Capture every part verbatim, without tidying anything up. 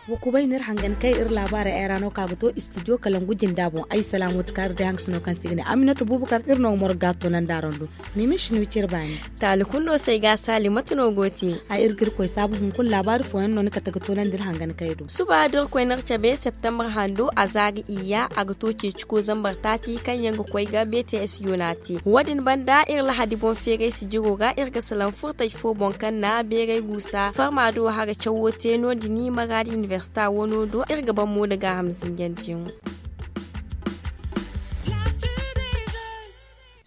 Wa kubay no iri hangan kay iri laabaarey ay ra no kaŋ a ga to istidiyo kalangu jinda boŋ ay salaamo ti kaari day hangasino kaŋ se i ga ne aminata bubakar iri no ga morga toonandi araŋ do. Mimi shinwi cire baani. Taali kulu no se ay ga a saali mate no go te? Ay iri ga iri koy saabu hunkuna laabaari fooyaŋ no ni kate ga toonandi iri hangan kay do. Suba da iri koy ni iri cabe septembre hando a za ga iyya a ga to ceeciko zambar taaci kaŋ yaŋ ga koy ga bts yoona te wo- din banda iri lahadi boŋ feeray sijiro ga iri ga salaŋ furtay fo boŋ kaŋ na beeray guusa farma do hara cawo te no- din maraadi inibersita wano do iri ga ban mo nda gaaham zinjandiyaŋo.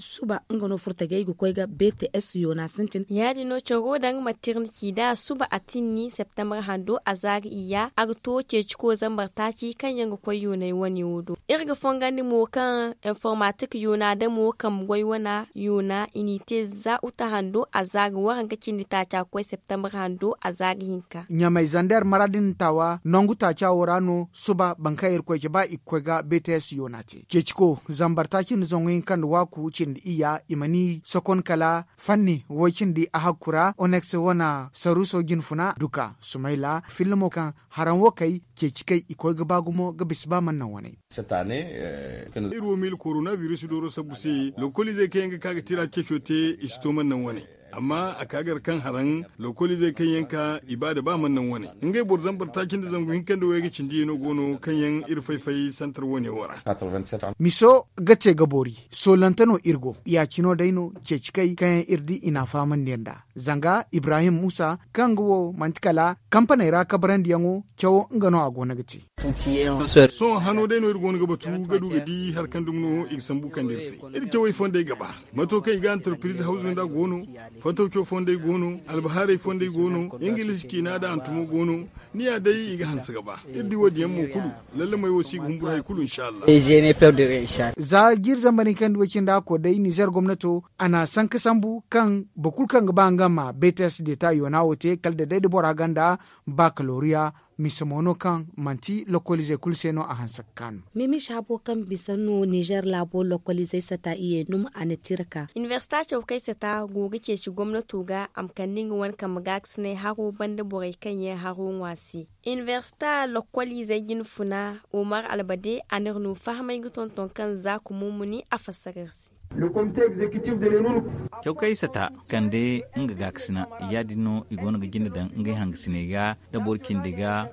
Suba nga no furtajey ga koy ga bts yoona sintin. Ya- din no caro daŋ matirniki da suba a tinni septembre hando a za ga iyya a ga to ceeciko zambar taaci kaŋ yaŋ ga koy yoonay wane wo do. Iri ga fongandi mo kaŋ informatik yoona damo kambe goy wana yoona i n'i te za uta hando a za ga waranka cindi taaca ga koy septembre hando a za ga hinka. Ɲamay zander maraadin taawa nangu taaca wo ra no suba boro kaŋ iri koy cabe i ga koy ga bts yoona te ceeciko zambar taaci nda zangu hinka nda waaku cindi iyya i ma ni sokon kala fanni woy cindi a hakku ra onex wana saruso jinfuna duka sumayla filmo kaŋ haraŋ wo kay ceeci kay i koy ga ba gumo ga bisa ba mana naŋ waney. Iri wo miila koronabiris dooro sabbu se lokoliizey kaŋ yaŋ ga ka ga tira ceeco te i si to mana naŋ waney. Amma a ka gar kaŋ haraŋ lokoliizey kaŋ yaŋ ka i ba da ba mana naŋ wane ngey boro zambar taaci nda zangu hinka nda wayga cindi yaŋ no go no kaŋ yaŋ iri fay-fay santar wane wo ra. Miso ga te ga boori soolante no iri go ya- cino day no ceeci kay kaŋ yaŋ iri di i n'a fahamandi yaŋ nd'a zanga ibrahim muusa kaŋ ga wo manti kala kampaney ra kabarandiyaŋo cawo nga no a go no ga te. Sohõ hano day no iri go no ga batu ga du ga di hari kaŋ dumi no i ga sambu kande iri se. Iri cawey fondey ga ba mato kaŋ i ga antarpiriz hawzu nda go no. Fatawco fondey go no. Albahaarey fondey go no. Ingiliz ciina nda hantumo go no. Ni ya day i ga hanse ga ba iri di wo- din yaŋ mo kulu. Lallamey wo si ga humburu hari kulu inshallah. Za jiiri zambar hinka nda way cindi hakko day nizer gomnato a na sanka sambu kaŋ boro kulu kaŋ ga ba nga ma bts deta yoona wo te kala da day da bora gonda bakaloriya. Mise mo no kaŋ manti lokoliizey kulu se no a hanse ga kaanu. Mimish habo kaŋ bisa no nizer laabo lokoliizey sata iye numa a na tira ka. Inibersita caw kay sata go ga ceeci gomnato ga a ma kande nga wane kambe gaakasinay haro banda borey kaŋ yaŋ haro ŋwa se. Inibersita lokoliizey jinfuna omar albade a n'iri no fahamay ga tonton kaŋ za ka mumuni a fassara iri se. Cawkay sata kande nga gaakasina ya- din no i go no ga jinde daŋ ngey hangasiney ga da boro cindi ga.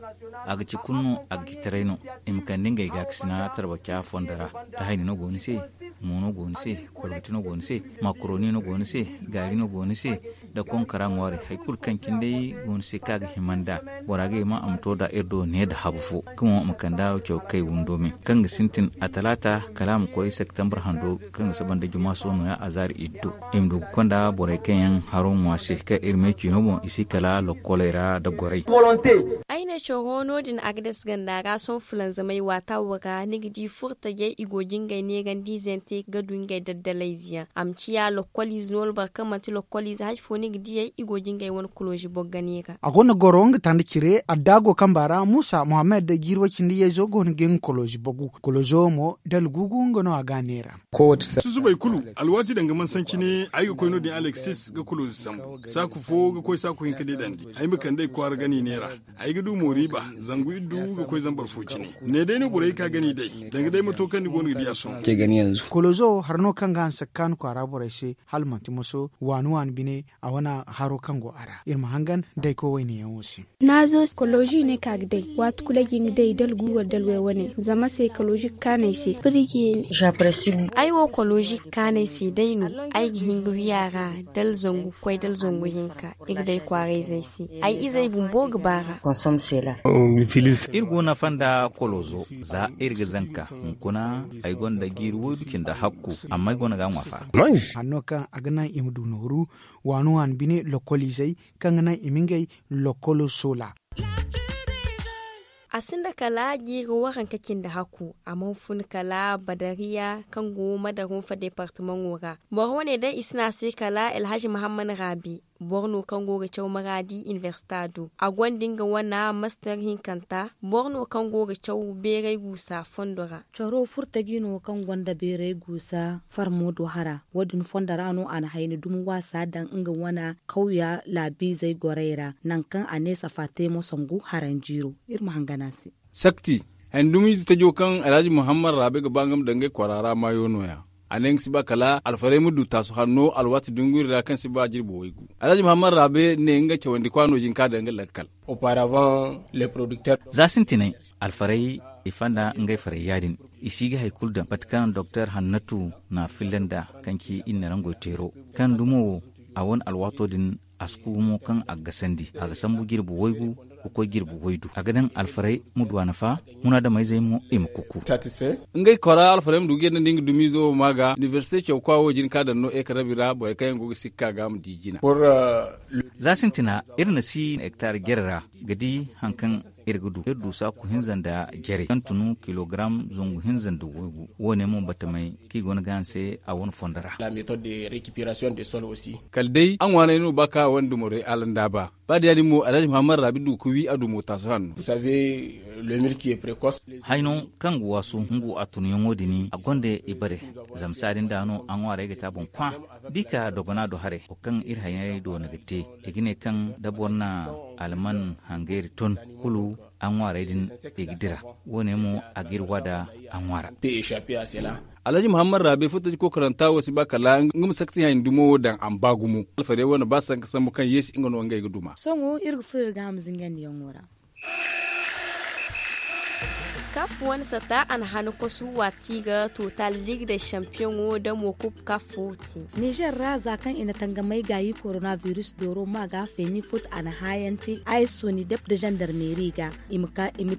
A ga ci kulu no a ga ci taray no. I ma kande ngey gaakasina tarbaca fondo ra da hayni no go ni se. Mo no go ni se. Kolgati no go ni se. Makoroni no go ni se. Gaari no go ni se. Da konkara ŋwaari hari kulu kaŋ cindey go ni se kaŋ a ga hima nd'a. Bora ga hima a ma to nd'a iri do ne nda habu fo kaŋ wo a ma kand'a caw kay windo me kaŋ ga sintin a talaata kala a ma koy septembre hando kaŋ ga saba nda juma sohõ nooya a zaari iddu. I ma du ga konda borey kaŋ yaŋ haro ŋwa se kaŋ iri me ciino boŋ i si kala lokkoley ra nda gorey. Ay ne coro no- din agades ganda ra sohõ fulanzamey waata wo ra ni ga di furtajey i go ga ngey neerandiize yaŋ te ga du ngey daddalayze yaŋ a ma ciya lokkoliize no wala boro kaŋ manti lokkoliize hari fo ni ga diyey i go ga ngey wane koloozi boro ga neera. A go no goro nga tanda cire adda go kamba ra muusa mohammed jiiri way cindi yayzo go no ga nga koloozi bogu koloozo mo dala guugu nga no a ga a neera. Susubay kulu alwaati daŋ ga mansanci ne ay ga koy no- din alexis ga koloozi sambu saaku fo ga koy saaku hinka deedandi. Ay ma kand'ey kwaara gani neera. Ay ga du mooriiba zangu iddu ga koy zambar fo cine. Ne day no borey ka gani day danga day mato kaŋ ni go no ga di a sohõ. Kolozo harno kaŋ ga hanse ga kaanu kwaara borey se hala manti moso waani waani bine. A wane haro kaŋ go a ra iri ma hangan dayko wayne yaŋo se. Kolozo ne ka ga day waati kulu ay ga hin ga day dala guuwar dala way wane zama se kolozo ga kaanu ay se. Ay wo kolozo ga kaanu ay se day no. Ay ga hin ga wi a ra dala zangu koy dala zangu hinka. I ga day kwaarayzey se. Ay izey bumbo ga baar'a. Iri go nafa nda kolozo za iri ga zanka hunkuna. Ay gonda jiiri woydu cindi hakku amma ay go no ga a ŋwa faara. Hanno kaŋ a ga naŋ i ma du nooru waani waani bine lokoliizey kaŋ ga naŋ i ma ngey lokolo soola. A sinda kala jiiri waranka cindi hakku a mana fun kala badariya kaŋ go madarunfa departamaŋo ra. Boro wane day i si ne a se kala alhazi mahammad raabi. Boro no kaŋ go ga caw maraadi inibersita do a gonda nga wana master hinkanta. Boro no kaŋ go ga caw beeray guusa fondo ra. Caro furtaji no kaŋ gonda beeray guusa farmo do hara wo- din fondo ra no a na hayni dumi waasa daŋ nga wana kawya laabiizey gorey ra. Nangu kaŋ a ne safa te mo sangu haranjiiro. Iri ma hangan a se. Sakti, handumiize tajo kaŋ alhaji muhammad raabe ga ba nga ma daŋ ngey kwaara ra maayo no- ya. A ne nga si ba kala alfarey ma du taasu hanno alwaati dunguri ra kaŋ si ba jirbi waygu. Alhaji muhammad raabe ne nga cawandi kwaano jin ka daŋ nga lakkal. Za sintinay, alfarey i fanda ngey farey ya- din. I si ga hari kulu daŋ mate kaŋ doktor hannatu na a filla nd'a, kaŋ ci iri na rangoy teero kaŋ dumo wo. A wane alwaato din, a si ku gumo kaŋ a ga gasandi a ga sambu jirbi waygu ga koy jirbi waydu a ga daŋ alfarey ma du a nafa. Munaadamayzey mo i ma kuku. Ngey kora alfarey ma du ga yadda nda nga dumiizo wo ma ga inibersite cawkwa wo jin ka daŋ no ekarabi ra borey kaŋ yaŋ go ga sikka ga ma di jina. Za sintina iri na si hektar jere ra ga di hari kaŋ iri ga du iri du saaku hinza nda jarey kaŋ tun kilogaram zangu hinza nda waygu. Wo- ne mo batamey kaŋ i go no ga a ni se a wane fondo ra. Kala day a ŋwaanay no ba kaŋ a wane dumorey alanda ba. Ba da ya- din mo alhaji muhammad raabi du ga wi a dumo taasu hanno. Hayno kaŋ ga waasu hungu a tunyaŋo din a gonda i bare. Zama saadin da no a ŋwaarey ga te a boŋ kwa da i ka dogona do haray wo kaŋ iri haynay do no ga te. I ga ne kaŋ da boro na alman hangayri ton kulu a ŋwaarey din i ga dira. Wo- ne mo a ga iri waada a ŋwaara. Alhaji muhammad raabe furtaji kokoranta wo si ba kala nga ma sakti hayni dumo wo daŋ a ma ba gumo alfarey wane ba sanka sambu kaŋ yeesi nga no ngey ga duma. Sohõ iri ga furo iri ga a ma zingandiyaŋo ra. Kaf wane sata a na hana kosu waati ga total ligue de champion wo damo kub kaf wo te. Nizer ra za kaŋ i na tangamay gaayi koronavirus dooro ma ga feeni fut a na haayanti a ye soni dep da zandarmeeri ga i ma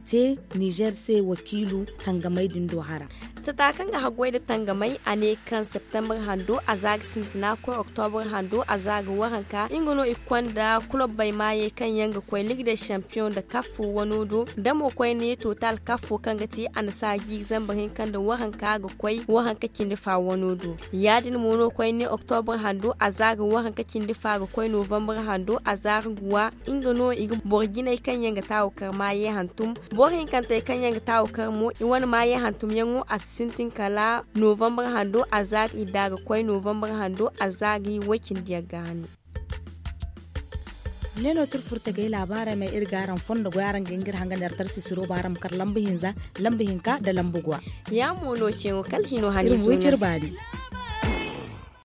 te nizer se wakiilu tangamay din do hara. Sata kaŋ ga haggoy nda tangamay a ne kaŋ septembre hando a za ga sintina koy oktobr hando a za ga waranka nga no i ga konda kulobbey maayey kaŋ yaŋ ga koy ligue de champion nda kaf wano do da mo koyne total kaf kaŋ ga te a na saaji zambar hinka nda waranka ga koy waranka cindi fa wano do. Ya- din mo no koyne oktobr hando a za ga waranka cindi fa ga koy novembre hando a za ga guwa nga no i ga boro jinay kaŋ yaŋ ga taawu kar maayey hantum. Boro hinkantey kaŋ yaŋ ga taawu kar mo i wane maayey hantumyaŋo a si sintin kala novembre hando a za ga idda ga koy novembre hando a za ga i way cindi yaŋ ga hane. Ne no tirfurtagay laabaarey ma iri ga araŋ fondo goy araŋ ga hin ga iri hanga neertar sisiro ba araŋ ma kar lambu hinza lambu hinka nda lambu gwa. Ya mo no ceeŋo kala hino hane iri ma way cire baani.